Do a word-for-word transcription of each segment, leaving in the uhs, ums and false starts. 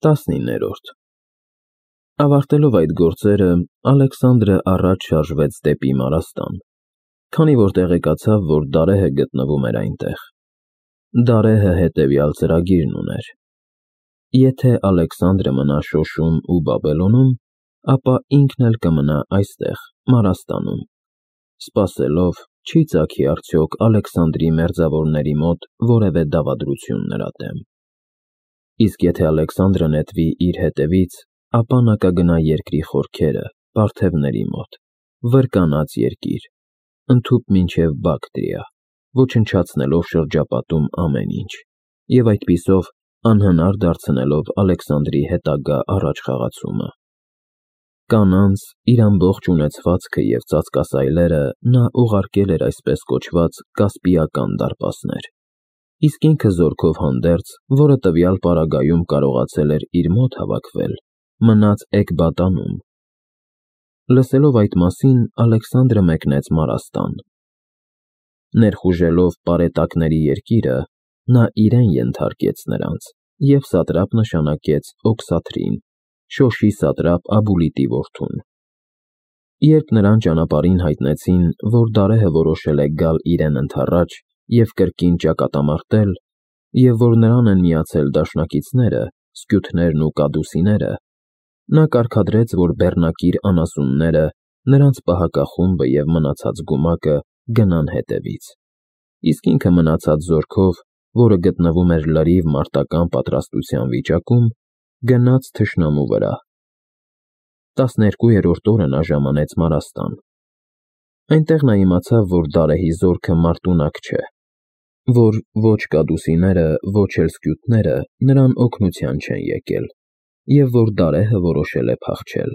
տասնիններորդ Ավարտելով այդ գործերը, Ալեքսանդրը առաջ շարժվեց դեպի Մարաստան, քանի որ տեղեկացավ, որ Դարեհը գտնվում էր այնտեղ։ Դարեհը հետևյալ ծրագիրն ուներ. եթե Ալեքսանդրը մնա Շոշում ու Բաբելոնում, ապա ինքն էլ կմնա այստեղ, Մարաստանում, սպասելով, չի ծագի արդյոք Ալեքսանդրի մերձավորների մոտ որևէ դավադրություն նրա դեմ։ Իսկ եթե Ալեքսանդրը նետվի իր հետևից, ապա նա կգնա երկրի խորքերը, պարթևների մոտ, վրկանած երկիր, ընդհուպ մինչև Բակտրիա, ոչնչացնելով շրջապատում ամեն ինչ, և այդպիսով անհնար դարձնելով Ալեքսանդրի հետագա առաջխաղացումը։ Կանանց, իր ամբողջ ունեցվածքը և ծածկասայլերը նա ուղարկել էր այսպես կոչված կասպիական դարպասներ, իսկ ինքը զորքով հանդերձ, որը տվյալ պարագայում կարողացել էր իր մոտ հավաքվել, մնաց Էկբատանում։ Լսելով այդ մասին, Ալեքսանդրը մեկնեց Մարաստան։ Ներխուժելով պարետակների երկիրը, նա իրեն ենթարկեց նրանց և սատրապ նշանակեց Օքսաթրին, Շոշի սատրապ Աբուլիտի որդուն։ Երբ նրան ճանապարհին հայտնեցին, որ Դարեհը որոշել է գալ իրեն ընդառաջ և կրկին ճակատամարտել, և որ նրան են միացել դաշնակիցները, սկյութներն ու կադուսիները, նա կարգադրեց, որ բեռնակիր անասունները, նրանց պահակախումբը և մնացած գումակը գնան հետևից, իսկ ինքը մնացած զորքով, որը գտնվում էր լրիվ մարտական պատրաստության վիճակում, գնաց թշնամու վրա։ Տասներկուերորդ օրը նա ժամանեց Մարաստան։ Այնտեղ նա իմացավ, որ Դարեհի զորքը մարտունակ չէ, որ ոչ կադուսիները, ոչ էլ սկյութները նրան օգնության չեն եկել, և որ Դարեհը որոշել է փախչել։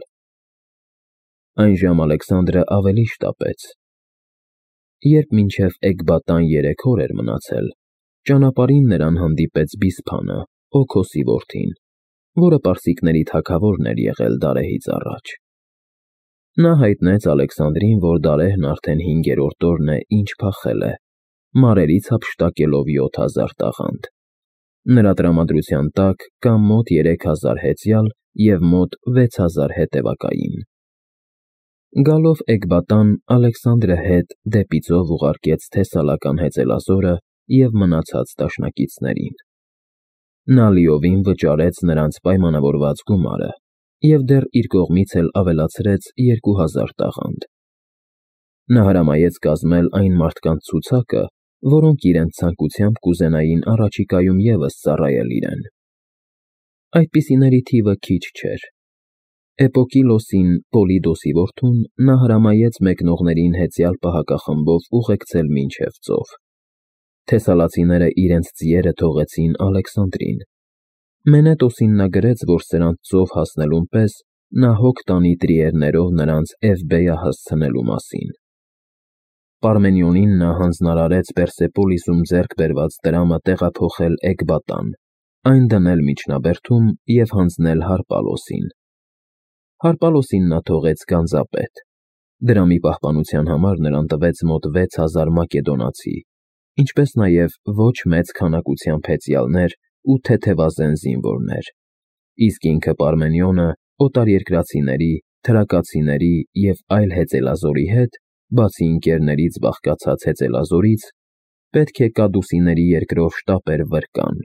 Այնժամ Ալեքսանդրը ավելի շտապեց։ Երբ մինչև Էկբատան երեք օր էր մնացել, ճանապարհին նրան հանդիպեց Բիսփանը, Օքոսի որդին, որը պարսիկների թագավորն էր եղել Դարեհից առաջ։ Նա հայտնեց Ալեքսանդրին, որ Դարեհն արդեն հինգերորդ օրն է, ինչ փախել է, մարերից հափշտակելով յոթ հազար տաղանդ։ Նրա տրամադրության տակ կա մոտ երեք հազար հեծյալ և մոտ վեց հազար հետևակային։ Գալով Էկբատան, Ալեքսանդրը հետ դեպի ծով ուղարկեց թեսալական հեծելազորը և մնացած դաշնակիցներին։ Նա լիովին վճարեց նրանց պայմանավորված գումարը և դեռ իր կողմից էլ ավելացրեց երկու հազար տաղանդ։ Նա հրամայեց կազմել այն մարդկանց ցուցակը, որոնք իրենց ցանկությամբ կուզենային առաջիկայում ևս ծառայել իրեն։ Այդպիսիների թիվը քիչ չէր։ Էպոկիլոսին, Պոլիդոսի որդուն, նա հրամայեց մեկնողներին հեծյալ պահակախմբով ուղեկցել մինչև ծով։ Թեսալացիները իրենց ձիերը թողեցին Ալեքսանդրին։ Մենետոսին նա գրեց, որ սրանց ծով հասնելուն պես նա հոգ տանի տրիերներով նրանց Էվբեյա հասցնելու մասին։ Պարմենիոնին նա հանձնարարեց Պերսեպոլիսում ձեռք բերված դրամը տեղափոխել Էկբատան, այն դնել միջնաբերդում և հանձնել Հարպալոսին։ Հարպալոսին նա թողեց գանձապետ։ Դրամի պահպանության համար նրան տվեց մոտ վեց հազար մակեդոնացի, ինչպես նաև ոչ մեծ քանակությամբ հեծյալներ ու թեթևազեն զինվորներ, իսկ ինքը Պարմենիոնը օտարերկրացիների, թրակացիների և այլ հեծելազորի հետ, բացի ընկերներից բաղկացած հեծելազորից, պետք է կադուսիների երկրով շտապեր վրկան։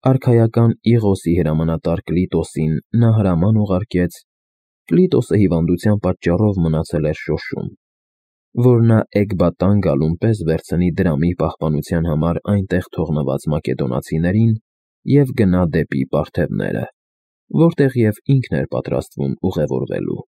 Արքայական Իղոսի հրամանատար Կլիտոսին նա հրաման ուղարկեց, Կլիտոսը հիվանդության պատճառով մնացել էր Շոշում, որ նա Էկբատան գալուն պես վերցնի դրամի պահպանության համար այնտեղ թողնված մակեդոնացիներին և գնա դեպի պարթևները, որտեղ և ինքն էր պատրաստվում ուղևորվելու։